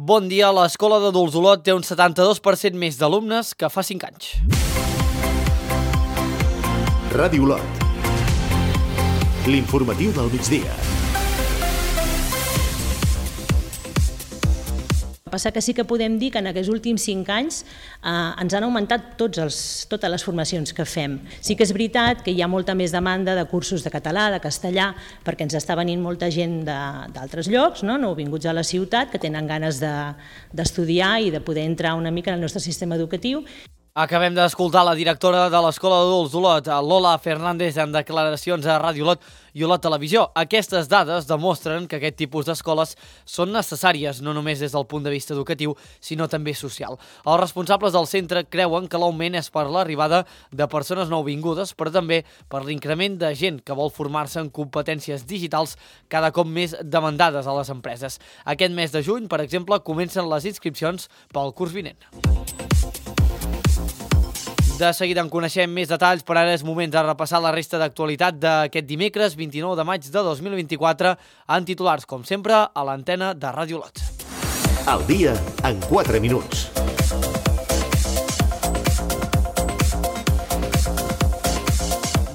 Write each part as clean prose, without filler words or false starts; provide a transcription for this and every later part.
Bon dia, l'Escola d'Adults Olot té un 72% més d'alumnes que fa 5 anys. Ràdio Olot. L'informatiu del migdia. Passa que sí que podem dir que en aquests últims 5 anys ens han augmentat totes les formacions que fem. Sí que és veritat que hi ha molta més demanda de cursos de català, de castellà, perquè ens està venint molta gent d'altres llocs, nouvinguts a la ciutat, que tenen ganes d'estudiar i de poder entrar una mica en el nostre sistema educatiu. Acabem d'escoltar la directora de l'Escola d'Adults Olot, Lola Fernández, en declaracions a Ràdio Olot i Olot Televisió. Aquestes dades demostren que aquest tipus d'escoles són necessàries, no només des del punt de vista educatiu, sinó també social. Els responsables del centre creuen que l'augment és per l'arribada de persones nouvingudes, però també per l'increment de gent que vol formar-se en competències digitals cada cop més demandades a les empreses. Aquest mes de juny, per exemple, comencen les inscripcions pel curs vinent. De seguida en coneixem més detalls, però ara és moment de repassar la resta d'actualitat d'aquest dimecres 29 de maig de 2024 en titulars, com sempre, a l'antena de Ràdio Olot. El dia en 4 minuts.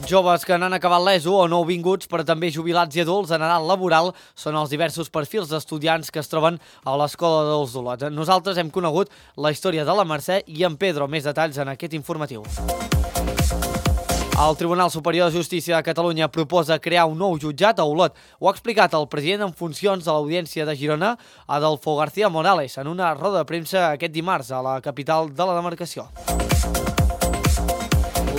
Joves que n'han acabat l'ESO o nouvinguts, però també jubilats i adults en edat laboral són els diversos perfils d'estudiants que es troben a l'Escola d'Adults d'Olot. Nosaltres hem conegut la història de la Mercè i en Pedro, més detalls en aquest informatiu. El Tribunal Superior de Justícia de Catalunya proposa crear un nou jutjat a Olot. Ho ha explicat el president en funcions de l'Audiència de Girona, Adolfo García Morales, en una roda de premsa aquest dimarts a la capital de la demarcació.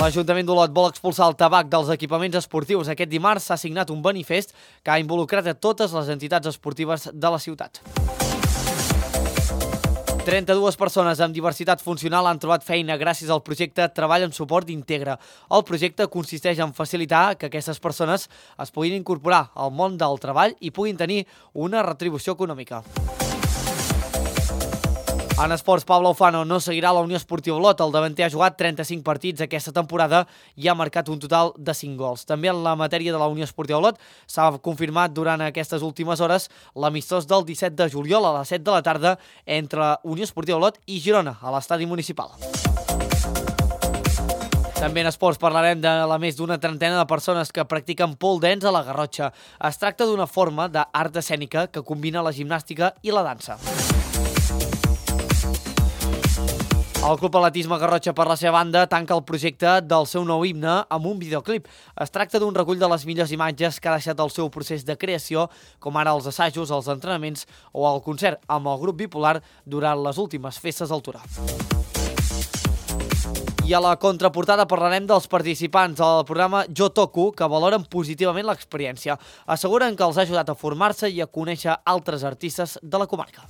L'Ajuntament d'Olot vol expulsar el tabac dels equipaments esportius. Aquest dimarts s'ha signat un manifest que ha involucrat a totes les entitats esportives de la ciutat. 32 persones amb diversitat funcional han trobat feina gràcies al projecte Treball en Suport Integra. El projecte consisteix en facilitar que aquestes persones es puguin incorporar al món del treball i puguin tenir una retribució econòmica. En esports, Pablo Ufano no seguirà a la Unió Esportiva Olot. El davanter ha jugat 35 partits aquesta temporada i ha marcat un total de 5 gols. També en la matèria de la Unió Esportiva Olot s'ha confirmat durant aquestes últimes hores l'amistós del 17 de juliol a les 7 de la tarda entre Unió Esportiva Olot i Girona, a l'estadi municipal. També en esports parlarem de la més d'una trentena de persones que practiquen pole dance a la Garrotxa. Es tracta d'una forma d'art escènica que combina la gimnàstica i la dansa. El Club Atletisme Garrotxa, per la seva banda, tanca el projecte del seu nou himne amb un videoclip. Es tracta d'un recull de les millors imatges que ha deixat el seu procés de creació, com ara els assajos, els entrenaments o el concert amb el grup Bipolar durant les últimes festes del Torà. I a la contraportada parlarem dels participants del programa Jo Toco, que valoren positivament l'experiència. Asseguren que els ha ajudat a formar-se i a conèixer altres artistes de la comarca.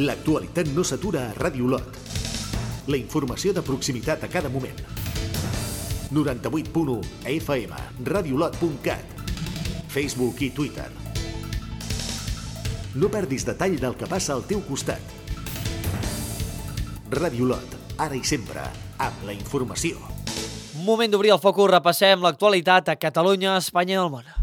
L'actualitat no s'atura a Ràdio Olot. La informació de proximitat a cada moment. 98.1 FM, radiolot.cat, Facebook i Twitter. No perdis detall del que passa al teu costat. Ràdio Olot, ara i sempre, amb la informació. Moment d'obrir el focus, repassem l'actualitat a Catalunya, Espanya i el món.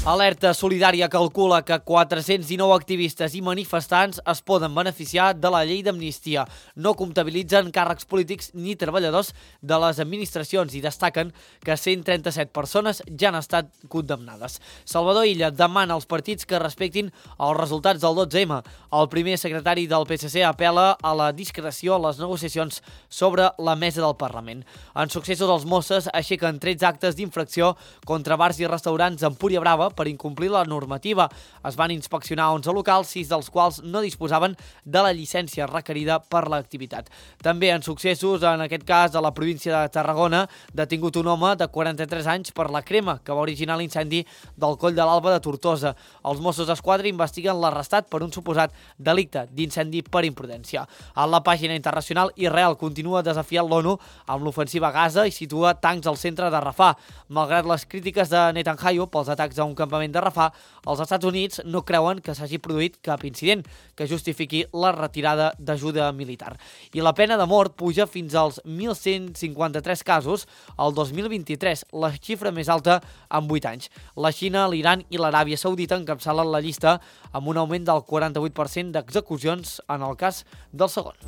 Alerta Solidària calcula que 419 activistes i manifestants es poden beneficiar de la llei d'amnistia. No comptabilitzen càrrecs polítics ni treballadors de les administracions i destaquen que 137 persones ja han estat condemnades. Salvador Illa demana als partits que respectin els resultats del 12M. El primer secretari del PSC apela a la discreció a les negociacions sobre la mesa del Parlament. En successos, els Mossos aixequen 13 actes d'infracció contra bars i restaurants a Empúria Brava per incomplir la normativa. Es van inspeccionar 11 locals, 6 dels quals no disposaven de la llicència requerida per l'activitat. També en successos, en aquest cas a la província de Tarragona, detingut un home de 43 anys per la crema que va originar l'incendi del Coll de l'Alba de Tortosa. Els Mossos d'Esquadra investiguen l'arrestat per un suposat delicte d'incendi per imprudència. A la pàgina internacional, Israel continua desafiant l'ONU amb l'ofensiva a Gaza i situa tancs al centre de Rafah. Malgrat les crítiques de Netanyahu pels atacs a un campament campament de Rafah, els Estats Units no creuen que s'hagi produït cap incident que justifiqui la retirada d'ajuda militar. I la pena de mort puja fins als 1.153 casos al 2023, la xifra més alta en 8 anys. La Xina, l'Iran i l'Aràbia Saudita encapçalen la llista amb un augment del 48% d'execucions en el cas del segon.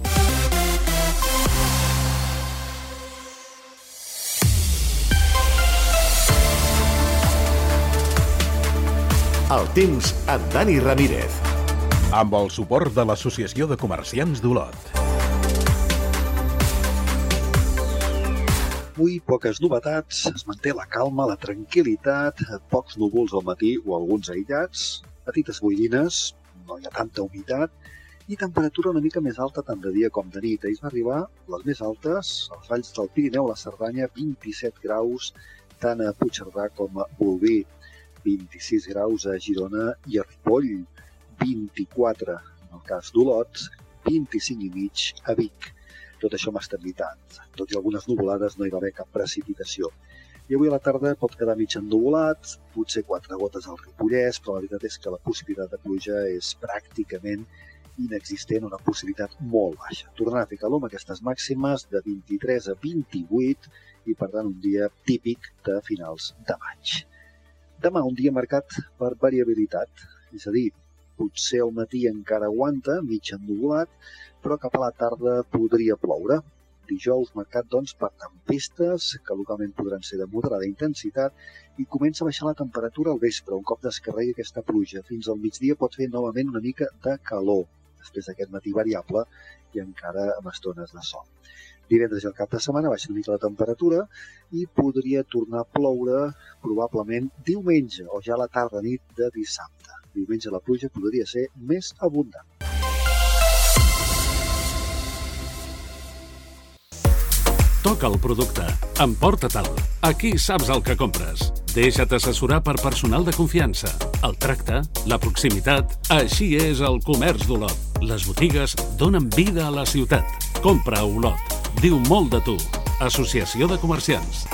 El temps amb Dani Ramírez. Amb el suport de l'Associació de Comerciants d'Olot. Avui poques novetats, es manté la calma, la tranquil·litat, pocs núvols al matí o alguns aïllats, petites boirines, no hi ha tanta humitat i temperatura una mica més alta tant de dia com de nit. Ahir va arribar les més altes, als valls del Pirineu, la Cerdanya, 27 graus, tant a Puigcerdà com a Bolvir. 26 graus a Girona i a Ripoll, 24 en el cas d'Olot, 25,5 a Vic. Tot això amb estabilitat. Tot i algunes nuvolades no hi va haver cap precipitació. I avui a la tarda pot quedar mig ennuvolat, potser 4 gotes al Ripollès, però la veritat és que la possibilitat de pluja és pràcticament inexistent, una possibilitat molt baixa. Tornarà a fer calor amb aquestes màximes de 23 a 28 i per tant un dia típic de finals de maig. Demà un dia marcat per variabilitat, és a dir, potser al matí encara aguanta, mig ennuvolat, però cap a la tarda podria ploure. Dijous marcat doncs per tempestes, que localment podran ser de moderada intensitat, i comença a baixar la temperatura al vespre, un cop descarregui aquesta pluja. Fins al migdia pot fer novament una mica de calor, després d'aquest matí variable i encara amb estones de sol. Divendres i el cap de setmana baixa una mica la temperatura i podria tornar a ploure probablement diumenge o ja a la tarda-nit de dissabte. Diumenge la pluja podria ser més abundant. Toca el producte. Emporta-te'l. Aquí saps el que compres. Deixa't assessorar per personal de confiança. El tracte, la proximitat, així és el comerç d'Olot. Les botigues donen vida a la ciutat. Compra a Olot. Diu molt de tu. Associació de Comerciants.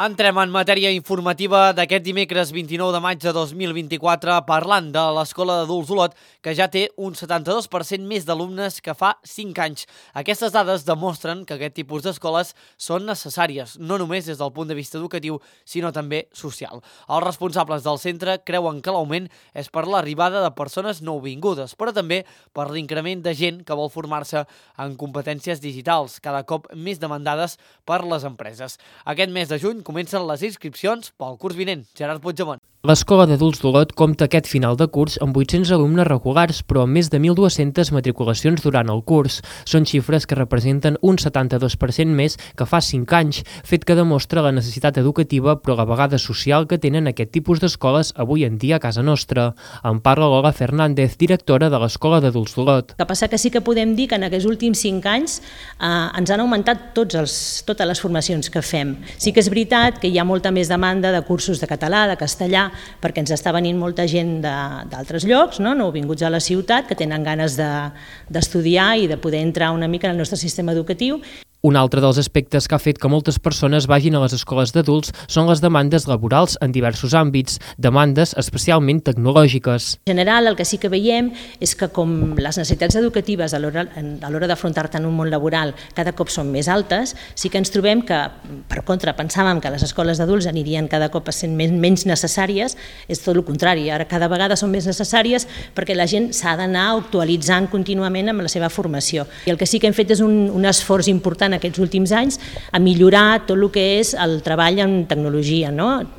Entrem en matèria informativa d'aquest dimecres 29 de maig de 2024 parlant de l'Escola d'Adults d'Olot, que ja té un 72% més d'alumnes que fa 5 anys. Aquestes dades demostren que aquest tipus d'escoles són necessàries, no només des del punt de vista educatiu, sinó també social. Els responsables del centre creuen que l'augment és per l'arribada de persones nouvingudes, però també per l'increment de gent que vol formar-se en competències digitals, cada cop més demandades per les empreses. Aquest mes de juny comencen les inscripcions pel curs vinent. Gerard Puigdemont. L'Escola d'Adults d'Olot compta aquest final de curs amb 800 alumnes regulars, però amb més de 1.200 matriculacions durant el curs. Són xifres que representen un 72% més que fa 5 anys, fet que demostra la necessitat educativa però a la vegada social que tenen aquest tipus d'escoles avui en dia a casa nostra. En parla Lola Fernández, directora de l'Escola d'Adults d'Olot. El que passa que sí que podem dir que en aquests últims 5 anys ens han augmentat totes les formacions que fem. Sí que és veritat que hi ha molta més demanda de cursos de català, de castellà, perquè ens està venint molta gent d'altres llocs, nouvinguts a la ciutat, que tenen ganes d'estudiar i de poder entrar una mica en el nostre sistema educatiu. Un altre dels aspectes que ha fet que moltes persones vagin a les escoles d'adults són les demandes laborals en diversos àmbits, demandes especialment tecnològiques. En general, el que sí que veiem és que com les necessitats educatives a l'hora d'afrontar-te en un món laboral cada cop són més altes, sí que ens trobem que, per contra, pensàvem que les escoles d'adults anirien cada cop sent menys necessàries, és tot el contrari, ara cada vegada són més necessàries perquè la gent s'ha d'anar actualitzant contínuament amb la seva formació. I el que sí que hem fet és un esforç important aquests últims anys a millorar tot el que és el treball en tecnologia,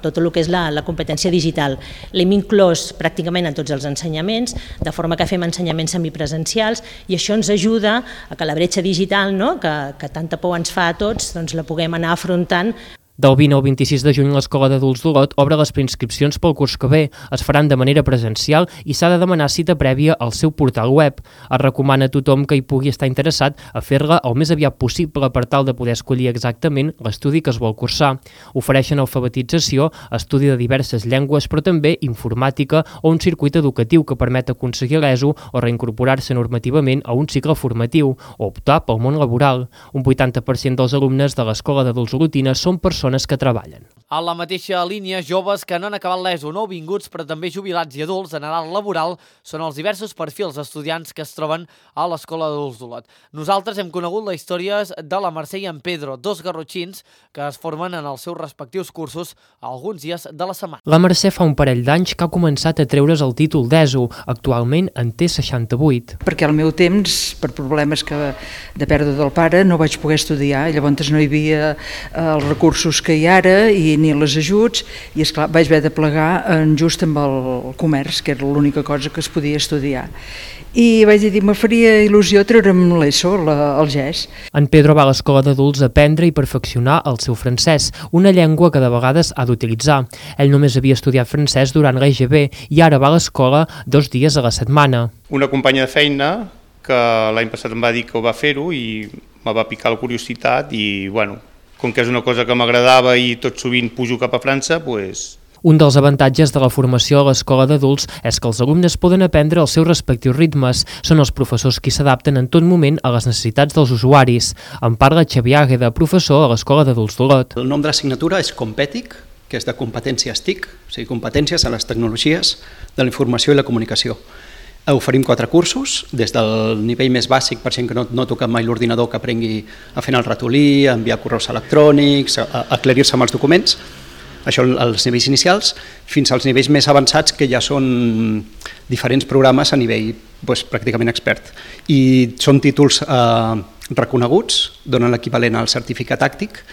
tot el que és la competència digital. L'hem inclòs pràcticament en tots els ensenyaments, de forma que fem ensenyaments semipresencials i això ens ajuda a que la bretxa digital, que tanta por ens fa a tots, doncs la puguem anar afrontant. Del 20 al 26 de juny l'Escola d'Adults d'Olot obre les preinscripcions pel curs que ve. Es faran de manera presencial i s'ha de demanar cita prèvia al seu portal web. Es recomana a tothom que hi pugui estar interessat a fer-la el més aviat possible per tal de poder escollir exactament l'estudi que es vol cursar. Ofereixen alfabetització, estudi de diverses llengües, però també informàtica o un circuit educatiu que permet aconseguir l'ESO o reincorporar-se normativament a un cicle formatiu o optar pel món laboral. Un 80% dels alumnes de l'Escola d'Adults olotina són persones persones que treballen. A la mateixa línia, joves que no han acabat l'ESO, nouvinguts, però també jubilats i adults en edat laboral són els diversos perfils d'estudiants que es troben a l'Escola d'Adults d'Olot. Nosaltres hem conegut les històries de la Mercè i en Pedro, dos garrotxins que es formen en els seus respectius cursos alguns dies de la setmana. La Mercè fa un parell d'anys que ha començat a treure's el títol d'ESO. Actualment en té 68. Perquè al meu temps, per problemes de pèrdua del pare, no vaig poder estudiar, i llavors no hi havia els recursos que hi ha ara i ni els ajuts, i esclar, vaig haver de plegar just amb el comerç, que era l'única cosa que es podia estudiar. I vaig dir, me faria il·lusió treure'm l'ESO, el GES. En Pedro va a l'escola d'adults a aprendre i perfeccionar el seu francès, una llengua que de vegades ha d'utilitzar. Ell només havia estudiat francès durant l'EGB i ara va a l'escola 2 dies a la setmana. Una companya de feina que l'any passat em va dir que ho va fer-ho i me va picar la curiositat i, bueno, com que és una cosa que m'agradava i tot sovint pujo cap a França, doncs... Un dels avantatges de la formació a l'escola d'adults és que els alumnes poden aprendre els seus respectius ritmes. Són els professors qui s'adapten en tot moment a les necessitats dels usuaris. En parla Xavier Águeda, professor a l'escola d'adults d'Olot. El nom de l'assignatura és Competic, que és de competències TIC, o sigui, competències a les tecnologies de la informació i la comunicació. Oferim 4 cursos, des del nivell més bàsic per gent que no toca mai l'ordinador, que aprengui a fer el ratolí, a enviar correus electrònics, a aclarir-se amb els documents, això als nivells inicials, fins als nivells més avançats que ja són diferents programes a nivell pràcticament expert. I són títols reconeguts, donen l'equivalent al certificat tàctic,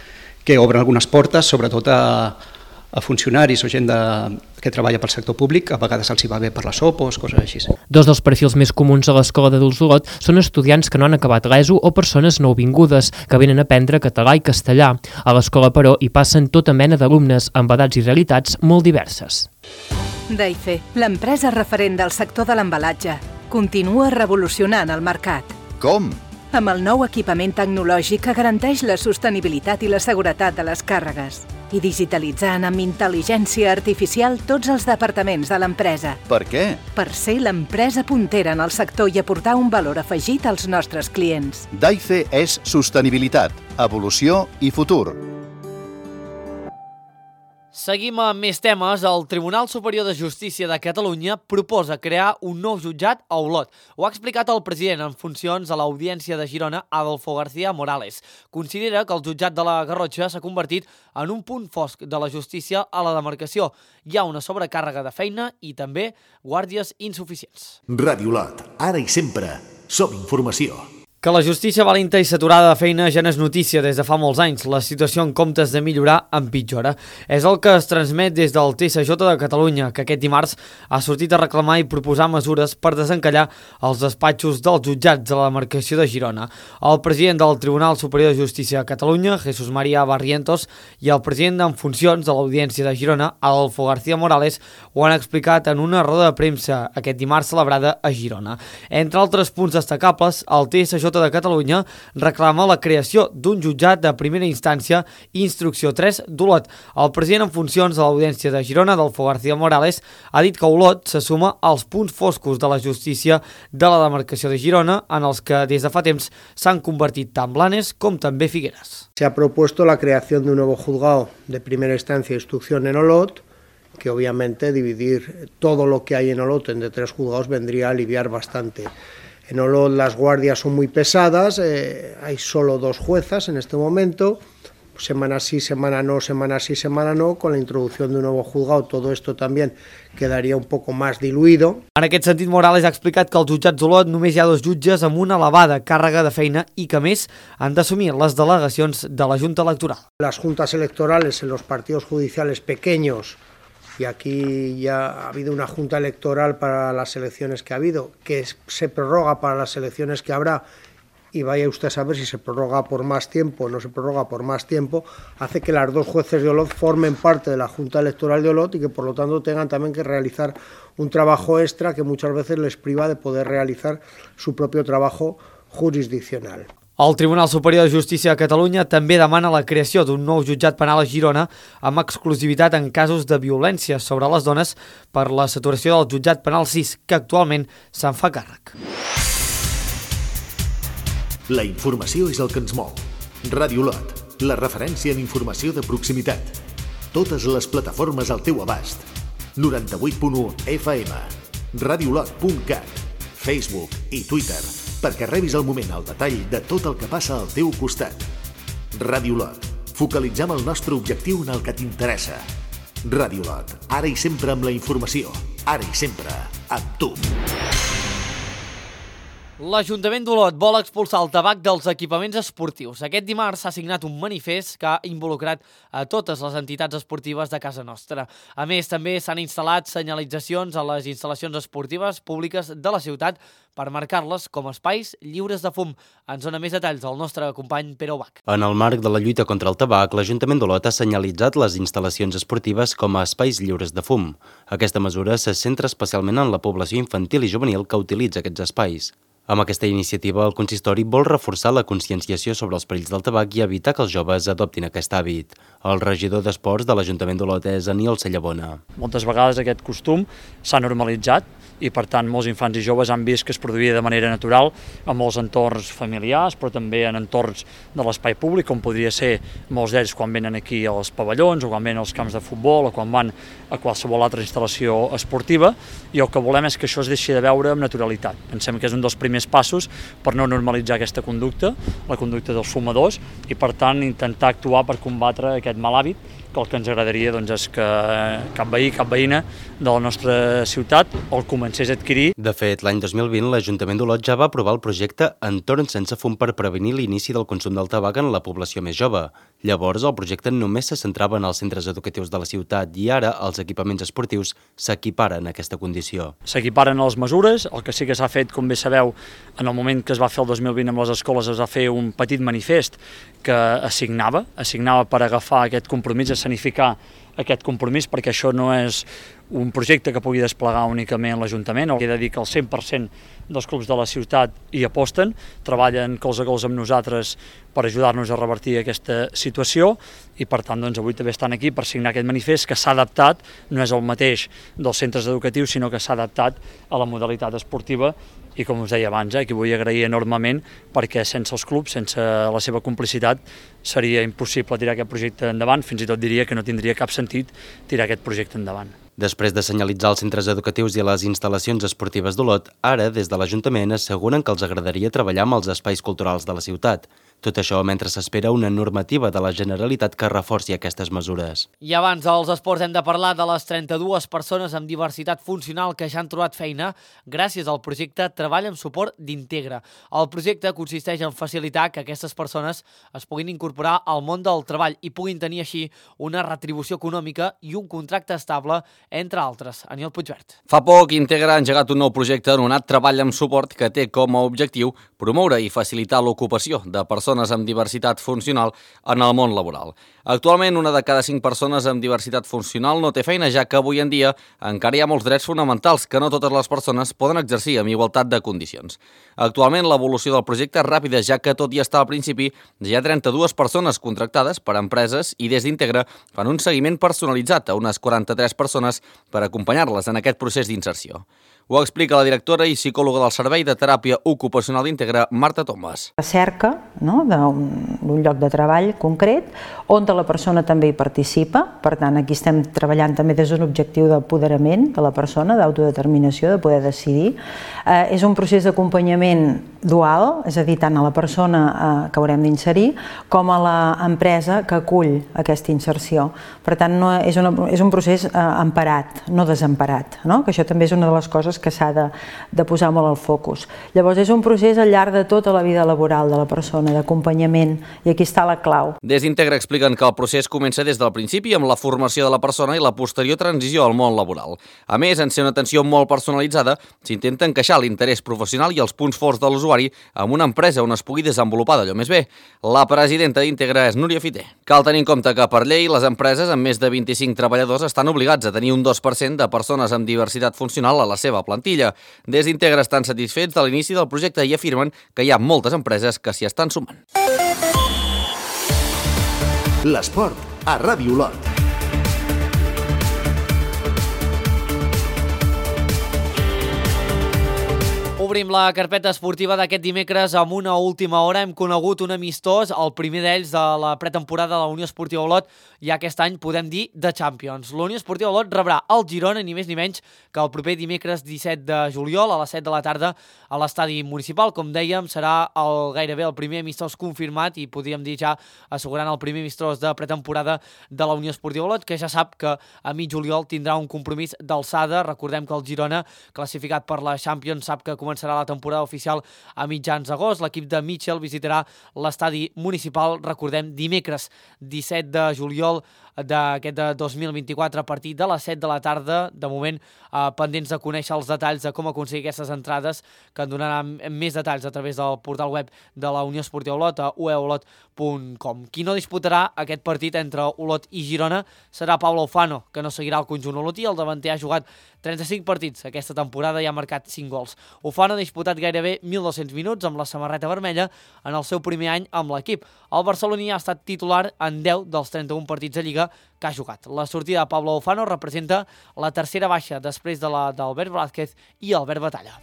que obren algunes portes, sobretot a funcionaris o gent que treballa pel sector públic, a vegades els hi va bé per les opos, coses així. Dos dels perfils més comuns a l'escola d'adults d'Olot són estudiants que no han acabat l'ESO o persones nouvingudes que venen a aprendre català i castellà. A l'escola, però, hi passen tota mena d'alumnes amb edats i realitats molt diverses. Daife, l'empresa referent del sector de l'embalatge, continua revolucionant el mercat. Com? Amb el nou equipament tecnològic que garanteix la sostenibilitat i la seguretat de les càrregues i digitalitzant amb intel·ligència artificial tots els departaments de l'empresa. Per què? Per ser l'empresa puntera en el sector i aportar un valor afegit als nostres clients. Daife és sostenibilitat, evolució i futur. Seguim amb més temes. El Tribunal Superior de Justícia de Catalunya proposa crear un nou jutjat a Olot. Ho ha explicat el president en funcions a l'Audiència de Girona, Adolfo García Morales. Considera que el jutjat de la Garrotxa s'ha convertit en un punt fosc de la justícia a la demarcació. Hi ha una sobrecàrrega de feina i també guàrdies insuficients. Ràdio Olot, ara i sempre, som informació. Que la justícia valenta i saturada de feina ja no és notícia des de fa molts anys. La situació, en comptes de millorar, empitjora. És el que es transmet des del TSJ de Catalunya, que aquest dimarts ha sortit a reclamar i proposar mesures per desencallar els despatxos dels jutjats de la demarcació de Girona. El president del Tribunal Superior de Justícia de Catalunya, Jesús María Barrientos, i el president en funcions de l'Audiència de Girona, Adolfo García Morales, ho han explicat en una roda de premsa aquest dimarts celebrada a Girona. Entre altres punts destacables, el TSJ de Catalunya reclama la creació d'un jutjat de primera instància i instrucció 3 d'Olot. El president en funcions de l'Audiència de Girona, Adolfo García Morales, ha dit que Olot se suma als punts foscos de la justícia de la demarcació de Girona, en els que des de fa temps s'han convertit tant Blanes com també Figueres. Se ha propuesto la creación de un nuevo juzgado de primera instancia e instrucción en Olot, que obviamente dividir todo lo que hay en Olot en de 3 juzgados vendría a aliviar bastante. En Olot las guardias son muy pesadas, hay solo 2 juezas en este momento, semana sí, semana no, semana sí, semana no. Con la introducción de un nuevo juzgado todo esto también quedaría un poco más diluido. En aquest sentit, Morales ha explicat que als jutjats d'Olot només hi ha 2 jutges amb una elevada càrrega de feina i que, a més, han d'assumir les delegacions de la Junta Electoral. Las juntas electorales en los partidos judiciales pequeños, y aquí ya ha habido una junta electoral para las elecciones que ha habido, que se prorroga para las elecciones que habrá, y vaya usted a saber si se prorroga por más tiempo o no se prorroga por más tiempo, hace que las 2 jueces de Olot formen parte de la Junta Electoral de Olot y que por lo tanto tengan también que realizar un trabajo extra que muchas veces les priva de poder realizar su propio trabajo jurisdiccional. El Tribunal Superior de Justícia de Catalunya també demana la creació d'un nou jutjat penal a Girona amb exclusivitat en casos de violència sobre les dones per la saturació del jutjat penal 6, que actualment se'n fa càrrec. La informació és el que ens mou. Ràdio Olot, la referència en informació de proximitat. Totes les plataformes al teu abast. 98.1 FM, radiolot.cat, Facebook i Twitter, perquè rebis al moment el detall de tot el que passa al teu costat. Radiolot. Focalitzem el nostre objectiu en el que t'interessa. Radiolot. Ara i sempre amb la informació. Ara i sempre amb tu. L'Ajuntament d'Olot vol expulsar el tabac dels equipaments esportius. Aquest dimarts s'ha signat un manifest que ha involucrat a totes les entitats esportives de casa nostra. A més, també s'han instal·lat senyalitzacions a les instal·lacions esportives públiques de la ciutat per marcar-les com espais lliures de fum. Ens dona més detalls el nostre company Pere Ubach. En el marc de la lluita contra el tabac, l'Ajuntament d'Olot ha senyalitzat les instal·lacions esportives com a espais lliures de fum. Aquesta mesura se centra especialment en la població infantil i juvenil que utilitza aquests espais. Amb aquesta iniciativa, el consistori vol reforçar la conscienciació sobre els perills del tabac i evitar que els joves adoptin aquest hàbit. El regidor d'Esports de l'Ajuntament d'Olot és Aniol Cellabona. Moltes vegades aquest costum s'ha normalitzat i, per tant, molts infants i joves han vist que es produïa de manera natural en molts entorns familiars, però també en entorns de l'espai públic, com podria ser molts d'ells quan venen aquí als pavellons o quan venen als camps de futbol o quan van a qualsevol altra instal·lació esportiva, i el que volem és que això es deixi de veure amb naturalitat. Pensem que és un dels primers passos per no normalitzar aquesta conducta, la conducta dels fumadors, i per tant intentar actuar per combatre aquest mal hàbit, que el que ens agradaria és que cap veí, cap veïna de la nostra ciutat el comencés a adquirir. De fet, l'any 2020 l'Ajuntament d'Olot ja va aprovar el projecte Entorn sense fum per prevenir l'inici del consum del tabac en la població més jove. Llavors, el projecte només se centrava en els centres educatius de la ciutat i ara els equipaments esportius s'equiparen a aquesta condició. S'equiparen les mesures, el que sí que s'ha fet, com bé sabeu, en el moment que es va fer el 2020 amb les escoles es va fer un petit manifest que assignava per agafar aquest compromís, escenificar aquest compromís, perquè això no és un projecte que pugui desplegar únicament l'Ajuntament. He de dir que el 100% dels clubs de la ciutat hi aposten, treballen colze a colze amb nosaltres per ajudar-nos a revertir aquesta situació i, per tant, avui també estan aquí per signar aquest manifest que s'ha adaptat, no és el mateix dels centres educatius, sinó que s'ha adaptat a la modalitat esportiva. I, com us deia abans, que vull agrair enormement perquè sense els clubs, sense la seva complicitat, seria impossible tirar aquest projecte endavant, fins i tot diria que no tindria cap sentit tirar aquest projecte endavant. Després de senyalitzar els centres educatius i les instal·lacions esportives d'Olot, ara, des de l'Ajuntament, asseguren que els agradaria treballar amb els espais culturals de la ciutat. Tot això mentre s'espera una normativa de la Generalitat que reforci aquestes mesures. I abans dels esports hem de parlar de les 32 persones amb diversitat funcional que ja han trobat feina gràcies al projecte Treball amb suport d'Integra. El projecte consisteix en facilitar que aquestes persones es puguin incorporar al món del treball i puguin tenir així una retribució econòmica i un contracte estable, entre altres. Aniol Puigvert. Fa poc, Integra ha engegat un nou projecte anomenat Treball amb suport que té com a objectiu promoure i facilitar l'ocupació de persones amb diversitat funcional en el món laboral. Actualment, una de cada 5 persones amb diversitat funcional no té feina, ja que avui en dia encara hi ha molts drets fonamentals que no totes les persones poden exercir amb igualtat de condicions. Actualment, l'evolució del projecte és ràpida, ja que tot i estar al principi, ja hi ha 32 persones contractades per empreses i des d'Integra fan un seguiment personalitzat a unes 43 persones per acompanyar-les en aquest procés d'inserció. Ho explica la directora i psicòloga del Servei de Teràpia Ocupacional d'Integra, Marta Thomas. La cerca d'un lloc de treball concret on la persona també hi participa. Per tant, aquí estem treballant també des d'un objectiu d'apoderament de la persona, d'autodeterminació, de poder decidir. És un procés d'acompanyament dual, és a dir, tant a la persona que haurem d'inserir com a l'empresa que acull aquesta inserció. Per tant, és un procés emparat, no desemparat, que això també és una de les coses que s'ha de posar molt al focus. Llavors, és un procés al llarg de tota la vida laboral de la persona, d'acompanyament, i aquí està la clau. Des d'Integra expliquen que el procés comença des del principi amb la formació de la persona i la posterior transició al món laboral. A més, en ser una atenció molt personalitzada, s'intenta encaixar l'interès professional i els punts forts de l'usuari amb una empresa on es pugui desenvolupar d'allò més bé. La presidenta d'Integra és Núria Fiter. Cal tenir en compte que, per llei, les empreses amb més de 25 treballadors estan obligats a tenir un 2% de persones amb diversitat funcional a la seva plantilla. Des d'Integra estan satisfets de l'inici del projecte i afirmen que hi ha moltes empreses que s'hi estan sumant. L'esport a Ràdio Olot. Obrim la carpeta esportiva d'aquest dimecres amb una última hora. Hem conegut un amistós, el primer d'ells de la pretemporada de la Unió Esportiva Olot, i aquest any podem dir de Champions. La Unió Esportiva Olot rebrà el Girona, ni més ni menys, que el proper dimecres 17 de juliol a les 7 de la tarda a l'estadi municipal. Com dèiem, serà gairebé el primer amistós confirmat i podríem dir ja assegurant el primer amistós de pretemporada de la Unió Esportiva Olot, que ja sap que a mig juliol tindrà un compromís d'alçada. Recordem que el Girona, classificat per la Champions, sap que començarà la temporada oficial a mitjans d'agost. L'equip de Mitchell visitarà l'estadi municipal, recordem, dimecres 17 de juliol d'aquest de 2024 a partir de les 7 de la tarda. De moment, pendents de conèixer els detalls de com aconseguir aquestes entrades, que en donaran més detalls a través del portal web de la Unió Esportiva Olot, a ueolot.com. Qui no disputarà aquest partit entre Olot i Girona serà Pablo Ufano, que no seguirà el conjunt olotí. El davanter ha jugat 35 partits aquesta temporada i ha marcat 5 gols. Ufano ha disputat gairebé 1.200 minuts amb la samarreta vermella en el seu primer any amb l'equip. El barceloní ha estat titular en 10 dels 31 partits de Lliga que ha jugat. La sortida de Pablo Ufano representa la tercera baixa després de la d'Albert Blázquez i Albert Batalla.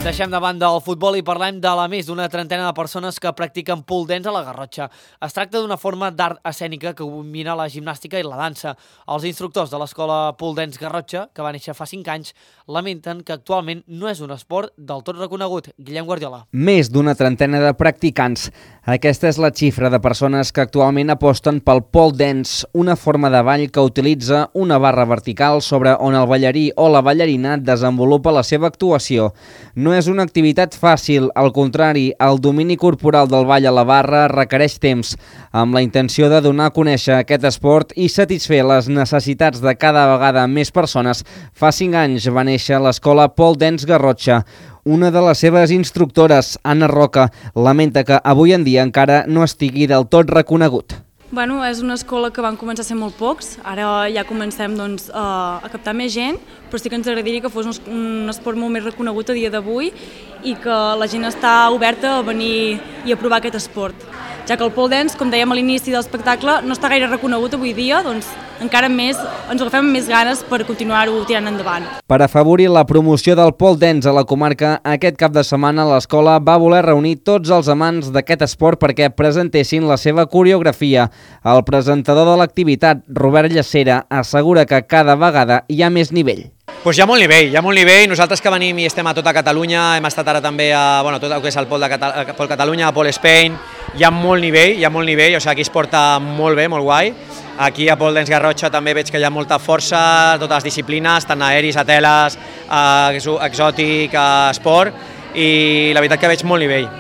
Deixem de banda el futbol i parlem de la més d'una trentena de persones que practiquen pole dance a la Garrotxa. Es tracta d'una forma d'art escènica que combina la gimnàstica i la dansa. Els instructors de l'escola Pole Dance Garrotxa, que va néixer fa 5 anys, lamenten que actualment no és un esport del tot reconegut. Guillem Guardiola. Més d'una trentena de practicants. Aquesta és la xifra de persones que actualment aposten pel pole dance, una forma de ball que utilitza una barra vertical sobre on el ballarí o la ballarina desenvolupa la seva actuació. No és una activitat fàcil, al contrari, el domini corporal del ball a la barra requereix temps, amb la intenció de donar a conèixer aquest esport i satisfer les necessitats de cada vegada més persones. Fa 5 anys va néixer l'escola Pole Dance Garrotxa. Una de les seves instructores, Anna Roca, lamenta que avui en dia encara no estigui del tot reconegut. Bueno, és una escola que van començar a ser molt pocs, ara ja comencem a captar més gent, però sí que ens agradaria que fos un esport molt més reconegut a dia d'avui i que la gent està oberta a venir i a provar aquest esport. Ja que el pole dance, com dèiem a l'inici de l'espectacle, no està gaire reconegut avui dia, doncs encara més ens ho agafem amb més ganes per continuar-ho tirant endavant. Per afavorir la promoció del pole dance a la comarca, aquest cap de setmana l'escola va voler reunir tots els amants d'aquest esport perquè presentessin la seva coreografia. El presentador de l'activitat, Robert Llacera, assegura que cada vegada hi ha més nivell. Pues hi ha molt nivell. Nosaltres que venim i estem a tota Catalunya, hem estat ara també a tot el que és el Pol Catalunya, a Pol Spain, hi ha molt nivell, o sigui, aquí es porta molt bé, molt guai. Aquí a Pole Dance Garrotxa també veig que hi ha molta força, totes les disciplines, tant aeris, a teles, exòtic, esport, i la veritat que veig molt nivell.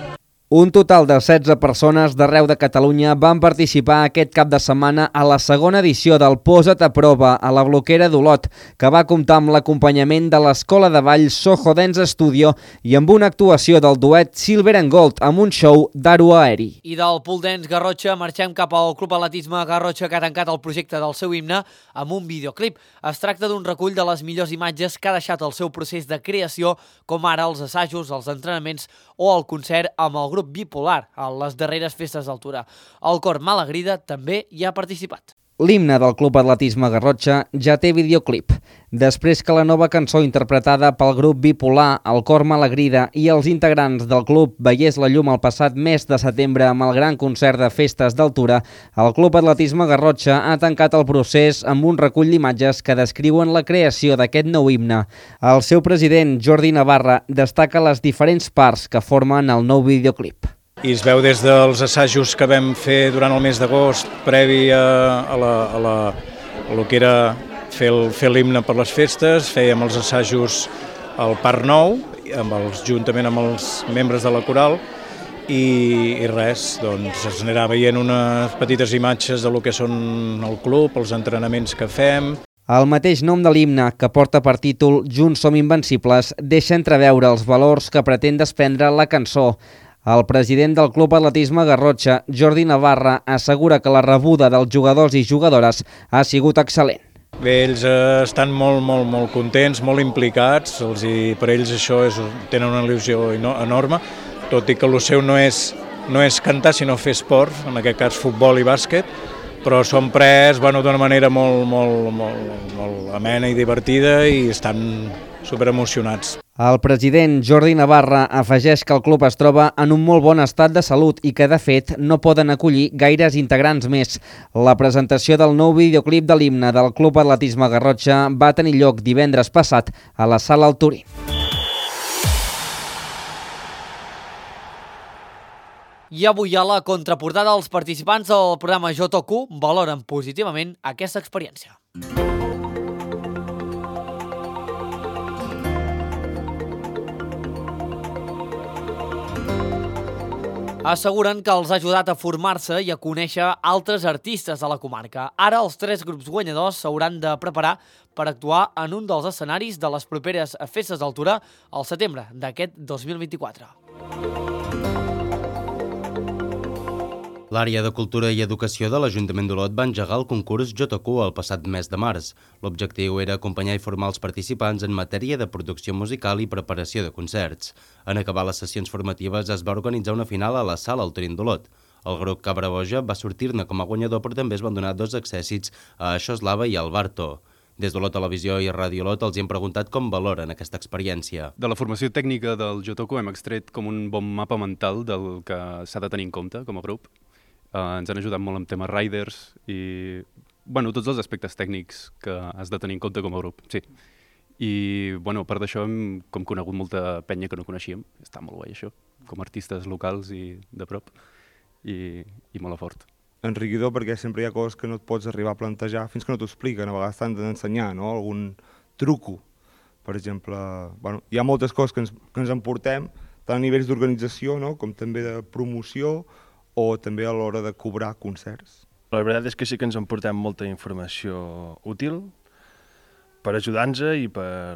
Un total de 16 persones d'arreu de Catalunya van participar aquest cap de setmana a la segona edició del Posa't a prova a la Bloquera d'Olot, que va comptar amb l'acompanyament de l'escola de ball Soho Dance Studio i amb una actuació del duet Silver and Gold amb un show d'aro aeri. I del Pole Dance Garrotxa marxem cap al Club Atletisme Garrotxa, que ha tancat el projecte del seu himne amb un videoclip. Es tracta d'un recull de les millors imatges que ha deixat el seu procés de creació, com ara els assajos, els entrenaments o el concert amb el grup Bipolar a les darreres festes d'altura. El cor Malagrida també hi ha participat. L'himne del Club Atletisme Garrotxa ja té videoclip. Després que la nova cançó interpretada pel grup Bipolar, el cor Malagrida i els integrants del club veiés la llum el passat mes de setembre amb el gran concert de festes d'altura, el Club Atletisme Garrotxa ha tancat el procés amb un recull d'imatges que descriuen la creació d'aquest nou himne. El seu president, Jordi Navarra, destaca les diferents parts que formen el nou videoclip. I es veu des dels assajos que vam fer durant el mes d'agost, previ a lo que era fer l'himne per les festes. Fèiem els assajos al Parc Nou, juntament amb els membres de la coral, i res, doncs es anirà veient unes petites imatges de lo que són el club, els entrenaments que fem. El mateix nom de l'himne, que porta per títol Junts som invencibles, deixa entreveure els valors que pretén desprendre la cançó. El president del Club Atletisme Garrotxa, Jordi Navarra, assegura que la rebuda dels jugadors i jugadores ha sigut excel·lent. Bé, ells estan molt contents, molt implicats, per ells això tenen una il·lusió enorme, tot i que el seu no és cantar, sinó fer esport, en aquest cas futbol i bàsquet, però són pres d'una manera molt amena i divertida i estan superemocionats. El president Jordi Navarra afegeix que el club es troba en un molt bon estat de salut i que, de fet, no poden acollir gaires integrants més. La presentació del nou videoclip de l'himne del Club Atletisme Garrotxa va tenir lloc divendres passat a la Sala El Turí. I avui a la contraportada els participants del programa Jotoku valoren positivament aquesta experiència. Asseguren que els ha ajudat a formar-se i a conèixer altres artistes de la comarca. Ara els 3 grups guanyadors s'hauran de preparar per actuar en un dels escenaris de les properes festes d'altura al setembre d'aquest 2024. L'àrea de Cultura i Educació de l'Ajuntament d'Olot va engegar el concurs Jotoku el passat mes de març. L'objectiu era acompanyar i formar els participants en matèria de producció musical i preparació de concerts. En acabar les sessions formatives es va organitzar una final a la Sala El Turí d'Olot. El grup Cabra Boja va sortir-ne com a guanyador, però també es van donar 2 accèssits a Xoslava i al Barto. Des d'Olot Televisió i Ràdio Olot els hem preguntat com valoren aquesta experiència. De la formació tècnica del Jotoku hem extret com un bon mapa mental del que s'ha de tenir en compte com a grup. Ens han ajudat molt amb temes riders i tots els aspectes tècnics que has de tenir en compte com a grup, sí. I a part d'això hem conegut molta penya que no coneixíem, està molt guai això, com a artistes locals i de prop, i molt fort. Enriquidor perquè sempre hi ha coses que no et pots arribar a plantejar fins que no t'ho expliquen, a vegades t'han d'ensenyar, no? Algun truco, per exemple. Hi ha moltes coses que ens emportem, tant a nivells d'organització com també de promoció, o també a l'hora de cobrar concerts. La veritat és que sí que ens emportem molta informació útil per ajudar-nos i per...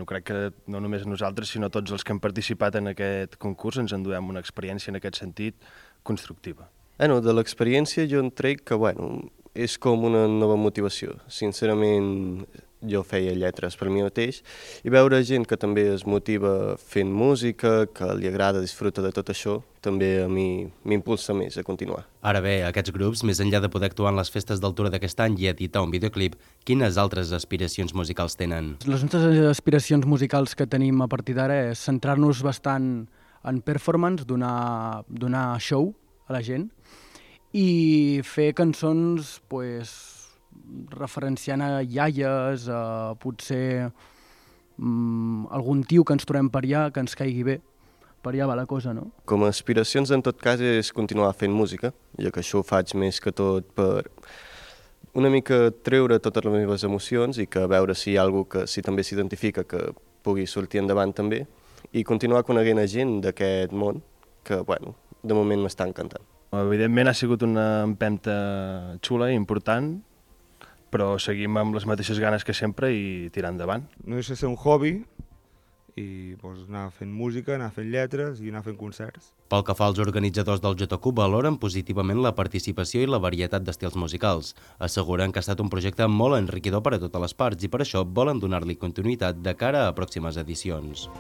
crec que no només nosaltres, sinó tots els que hem participat en aquest concurs ens enduem una experiència en aquest sentit constructiva. De l'experiència jo en trec que, és com una nova motivació. Sincerament, jo feia lletres per mi mateix i veure gent que també es motiva fent música, que li agrada, disfruta de tot això, també a mi m'impulsa més a continuar. Ara bé, aquests grups, més enllà de poder actuar en les festes d'altura d'aquest any i editar un videoclip, quines altres aspiracions musicals tenen? Les nostres aspiracions musicals que tenim a partir d'ara és centrar-nos bastant en performance, donar show a la gent i fer cançons, referenciant a iaies, a potser algun tio que ens trobem per allà, que ens caigui bé. Per allà va la cosa, no? Com a aspiracions, en tot cas, és continuar fent música, ja que això ho faig més que tot per una mica treure totes les meves emocions i que veure si hi ha algú que si també s'identifica que pugui sortir endavant també i continuar coneguent a gent d'aquest món que, de moment m'està encantant. Evidentment ha sigut una empenta xula i important, però seguim amb les mateixes ganes que sempre i tirar endavant. No deixa de ser un hobby i anar fent música, anar fent lletres i anar fent concerts. Pel que fa als organitzadors del Jotoku, valoren positivament la participació i la varietat d'estils musicals. Asseguren que ha estat un projecte molt enriquidor per a totes les parts i per això volen donar-li continuïtat de cara a pròximes edicions.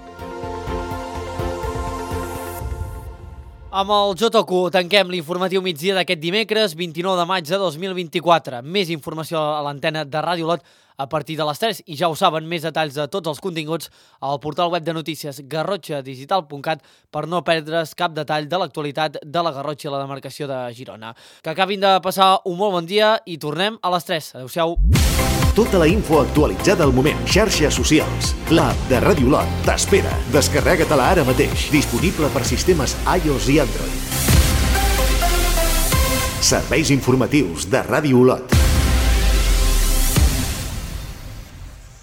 Amb el Jotoku tanquem l'informatiu migdia d'aquest dimecres 29 de maig de 2024. Més informació a l'antena de Ràdio Olot a partir de les 3 i ja ho saben, més detalls de tots els continguts al portal web de notícies garrotxadigital.cat per no perdre's cap detall de l'actualitat de la Garrotxa i la demarcació de Girona. Que acabin de passar un molt bon dia i tornem a les 3. Adéu-siau. Tota la info actualitzada al moment. Xarxes socials. L'app de Ràdio Olot t'espera. Descarrega-te-la ara mateix. Disponible per sistemes iOS i Android. Serveis informatius de Ràdio Olot.